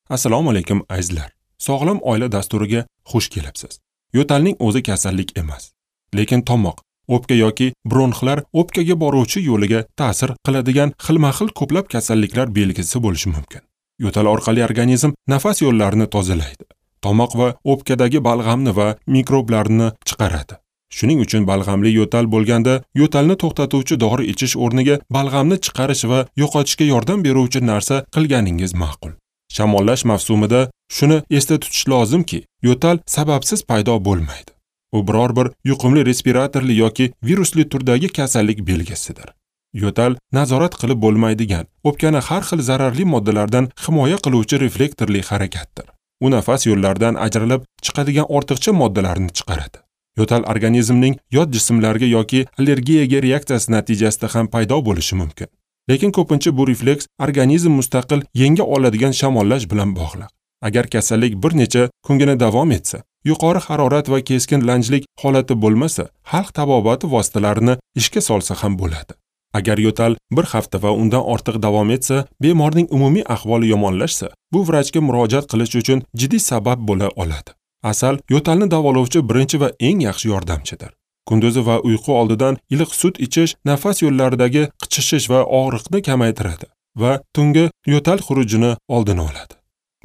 Assalomu alaykum azizlar. Sog'lom oila dasturiga xush kelibsiz. Yo'talning o'zi kasallik emas, lekin tomoq, o'pka yoki bronxlar o'pkaga boruvchi yo'liga ta'sir qiladigan xilma-xil ko'plab kasalliklar belgisi bo'lishi mumkin. Yo'tal orqali organizm nafas yo'llarini tozalaydi. Tomoq va o'pkadagi balg'amni va mikroblarni chiqaradi. Shuning uchun balg'amli yo'tal bo'lganda yo'talni to'xtatuvchi dori ichish o'rniga balg'amni chiqarish va yo'qotishga yordam beruvchi narsa qilganingiz ma'qul. Shamollash mavsumida shuni esda tutish lozimki, yo'tal sababsiz paydo bo'lmaydi. U biror bir yuqumli respiratorli yoki virusli turdagi kasallik belgisidir. Yo'tal nazorat qilib bo'lmaydigan, o'pkani har xil zararli moddalardan himoya qiluvchi reflektorli harakatdir. U nafas yo'llaridan ajralib chiqadigan ortiqcha moddalarni chiqaradi. Yo'tal organizmning yot jismlarga yoki allergiyaga reaksiyasi natijasida ham paydo bo'lishi mumkin. Lekin ko'pincha bu refleks organizm mustaqil yenga oladigan shamollash bilan bog'liq. Agar kasallik bir necha kungina davom etsa, yuqori harorat va keskin lanjlik holati bo'lmasa, xalq tabobati vositalarini ishga solsa ham bo'ladi. Agar yo'tal bir hafta va undan ortiq davom etsa, bemorning umumiy ahvoli yomonlashsa, bu vrachga murojaat qilish uchun jiddiy sabab bo'la oladi. Asal yo'talni davolovchi birinchi va eng yaxshi yordamchidir. Kunduzi va uyqu oldidan iliq sut ichish nafas yo'llaridagi qichishish va og'riqni kamaytiradi va tungi yo'tal xurujini oldini oladi.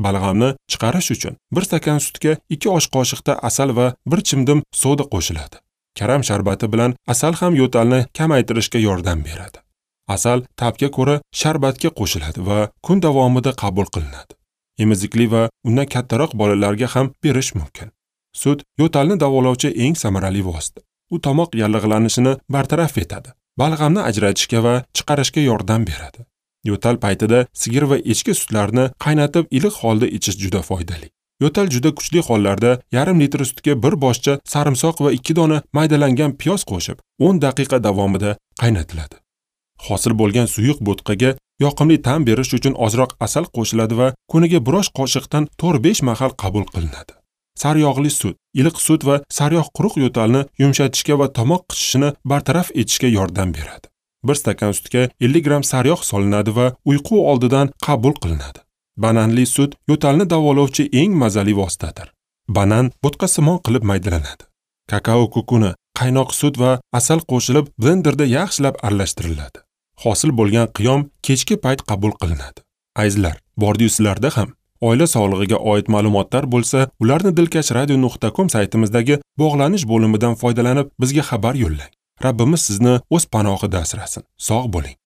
Balg'amni chiqarish uchun 1 stakan sutga 2 osh qoshiqta asal va 1 chimdim soda qo'shiladi. Karam sharbati bilan asal ham yo'talni kamaytirishga yordam beradi. Asal ta'bga ko'ra sharbatga qo'shiladi va kun davomida qabul qilinadi. Emizikli va undan kattaroq bolalarga ham berish mumkin. Sut yo'talni davolovchi eng samarali vosita. U tomoq yallig'lanishini bartaraf etadi, balg'amni ajratishga va chiqarishga yordam beradi. Yo'tal paytida sigir va echki sutlarini qaynatib iliq holda ichish juda foydali. Yo'tal juda kuchli hollarda 0,5 litr sutga 1 boshcha sarimsoq va 2 dona maydalangan piyoz qo'shib 10 daqiqa davomida qaynatiladi. Hosil bo'lgan suyuq bo'tqaga yoqimli ta'm berish uchun ozroq asal qo'shiladi va kuniga 1 osh qoshiqdan 4-5 mahal qabul qilinadi. Sariyog'li sut, iliq sut va sariyog' quruq yo'talni yumshatishga va tomoq qichishini bartaraf etishga yordam beradi. 1 stakan sutga 50 gramm sariyog' solinadi va uyqu oldidan qabul qilinadi. Bananli sut yo'talni davolovchi eng mazali vositadir. Banan bo'tqasimon qilib maydalanadi. Kakao kukuni, qaynoq sut va asal qo'shilib blenderda yaxshilab aralashtiriladi. Hosil bo'lgan qiyom kechki payt qabul qilinadi. Azizlar, bordi-yu sizlarda ham oila sog'lig'iga oid ma'lumotlar bo'lsa, ularni dilkashradio.com saytimizdagi bog'lanish bo'limidan foydalanib bizga xabar yo'llang. Rabbimiz sizni o'z panohida asrasin. Sog' bo'ling.